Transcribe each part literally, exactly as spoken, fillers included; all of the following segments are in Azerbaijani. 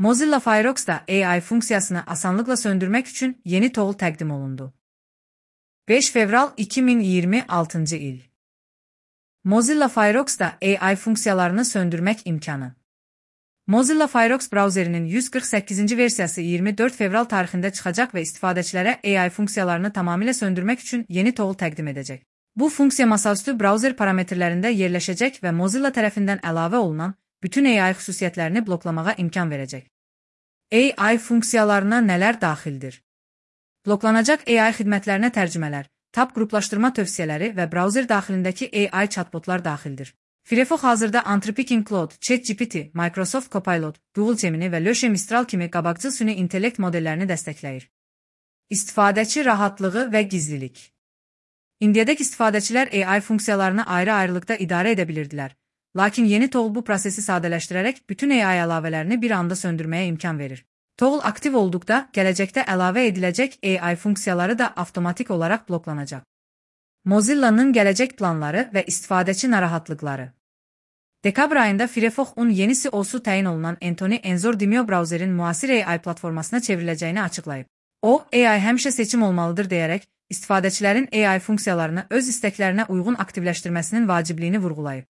Mozilla Firefox'da A I funksiyasını asanlıkla söndürmek için yeni tool təqdim olundu. beş fevral iki min iyirmi altıncı il. Mozilla Firefox'da A I funksiyalarını söndürmek imkanı. Mozilla Firefox brauzerinin yüz qırx səkkizinci versiyası iyirmi dörd fevral tarixində çıxacaq və istifadəçilərə A I funksiyalarını tamamilə söndürmək üçün yeni tool təqdim edəcək. Bu funksiya masaüstü brauzer parametrlərində yerləşəcək və Mozilla tərəfindən əlavə olunan bütün A I xüsusiyyətlərini bloklamağa imkan verəcək. A I funksiyalarına nələr daxildir? Bloklanacaq A I xidmətlərinə tərcümələr, tab qruplaşdırma tövsiyələri və brauzer daxilindəki A I chatbotlar daxildir. Firefox hazırda Anthropic Claude, ChatGPT, Microsoft Copilot, Google Gemini və Lusha Mistral kimi qabaqcıl süni intellekt modellərini dəstəkləyir. İstifadəçi rahatlığı və gizlilik. İndiyədək istifadəçilər A I funksiyalarını ayrı-ayrılıqda idarə edə bilirdilər. Lakin yeni tool bu prosesi sadələşdirərək bütün A I əlavələrini bir anda söndürməyə imkan verir. Tool aktiv olduqda, gələcəkdə əlavə ediləcək A I funksiyaları da avtomatik olaraq bloklanacaq. Mozilla'nın gələcək planları və istifadəçi narahatlıqları. Dekabr ayında Firefox'un yenisi olsu təyin olunan Anthony Enzor Demio brauzerin müasir A I platformasına çevriləcəyini açıqlayıb. O, A I həmişə seçim olmalıdır deyərək, istifadəçilərin A I funksiyalarını öz istəklərinə uyğun aktivləşdirməsinin vacibliyini vurğulayıb.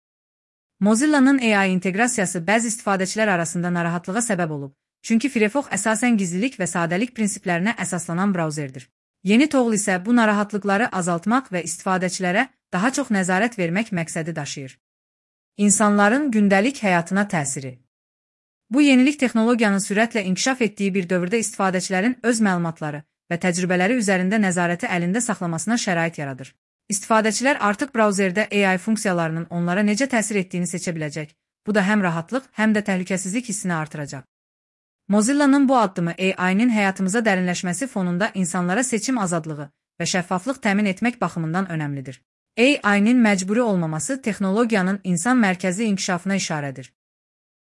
Mozilla'nın A I inteqrasiyası bəzi istifadəçilər arasında narahatlığa səbəb olub, çünki Firefox əsasən gizlilik və sadəlik prinsiplərinə əsaslanan brauzerdir. Yeni tool isə bu narahatlıqları azaltmaq və istifadəçilərə daha çox nəzarət vermək məqsədi daşıyır. İnsanların gündəlik həyatına təsiri. Bu yenilik texnologiyanın sürətlə inkişaf etdiyi bir dövrdə istifadəçilərin öz məlumatları və təcrübələri üzərində nəzarəti əlində saxlamasına şərait yaradır. İstifadəçilər artıq brauzerdə A I funksiyalarının onlara necə təsir etdiyini seçə biləcək. Bu da həm rahatlıq, həm də təhlükəsizlik hissini artıracaq. Mozilla'nın bu addımı A I-nin həyatımıza dərinləşməsi fonunda insanlara seçim azadlığı və şəffaflıq təmin etmək baxımından önəmlidir. A I-nin məcburi olmaması texnologiyanın insan mərkəzli inkişafına işarədir.